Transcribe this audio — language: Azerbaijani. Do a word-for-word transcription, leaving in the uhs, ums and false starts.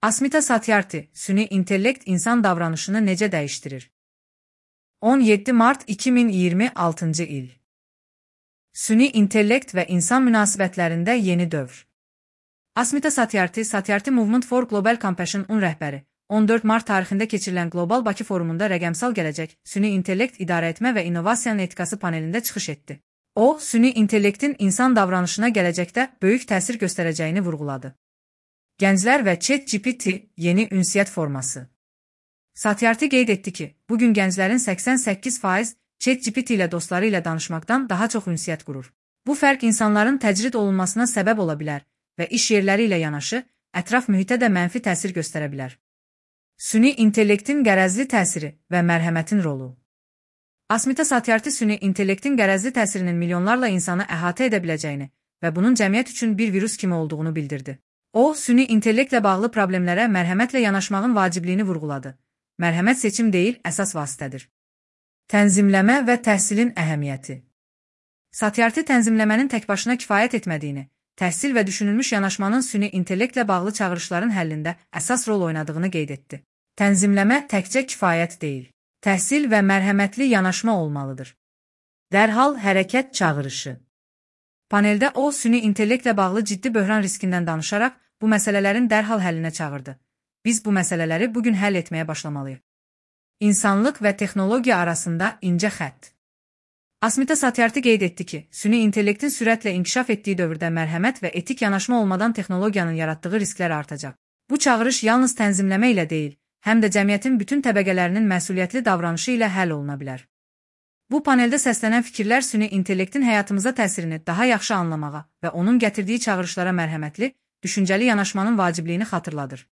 Asmita Satyarthi, süni intellekt insan davranışını necə dəyişdirir? on yeddi mart iki min iyirmi altıncı il. Süni intellekt və insan münasibətlərində yeni dövr. Asmita Satyarthi, Satyarthi Movement for Global Compassion-un rəhbəri, on dörd mart tarixində keçirilən Qlobal Bakı forumunda rəqəmsal gələcək, süni intellekt idarəetmə və innovasiyanın etikası panelində çıxış etdi. O, süni intellektin insan davranışına gələcəkdə böyük təsir göstərəcəyini vurğuladı. Gənclər və ChatGPT yeni ünsiyyət forması. Satyarthi qeyd etdi ki, bugün gənclərin səksən səkkiz faiz ChatGPT ilə dostları ilə danışmaqdan daha çox ünsiyyət qurur. Bu fərq insanların təcrid olunmasına səbəb ola bilər və iş yerləri ilə yanaşı, ətraf mühitə də mənfi təsir göstərə bilər. Süni intellektin qərəzli təsiri və mərhəmətin rolu. Asmita Satyarthi süni intellektin qərəzli təsirinin milyonlarla insanı əhatə edə biləcəyini və bunun cəmiyyət üçün bir virus kimi olduğunu bildirdi. O, süni intellektlə bağlı problemlərə mərhəmətlə yanaşmağın vacibliyini vurğuladı. Mərhəmət seçim deyil, əsas vasitədir. Tənzimləmə və təhsilin əhəmiyyəti. Satyarthi tənzimləmənin təkbaşına kifayət etmədiyini, təhsil və düşünülmüş yanaşmanın süni intellektlə bağlı çağırışların həllində əsas rol oynadığını qeyd etdi. Tənzimləmə təkcə kifayət deyil, təhsil və mərhəmətli yanaşma olmalıdır. Dərhal hərəkət çağırışı. Paneldə o, süni intellektlə bağlı ciddi böhran riskindən danışaraq, bu məsələlərin dərhal həllinə çağırdı. Biz bu məsələləri bugün həll etməyə başlamalıyıq. İnsanlıq və texnologiya arasında incə xətt. Asmita Satyarthi qeyd etdi ki, süni intellektin sürətlə inkişaf etdiyi dövrdə mərhəmət və etik yanaşma olmadan texnologiyanın yaratdığı risklər artacaq. Bu çağırış yalnız tənzimləmə ilə deyil, həm də cəmiyyətin bütün təbəqələrinin məsuliyyətli davranışı ilə həll oluna bilər. Bu paneldə səslənən fikirlər süni intellektin həyatımıza təsirini daha yaxşı anlamağa və onun gətirdiyi çağırışlara mərhəmətli, düşüncəli yanaşmanın vacibliyini xatırladır.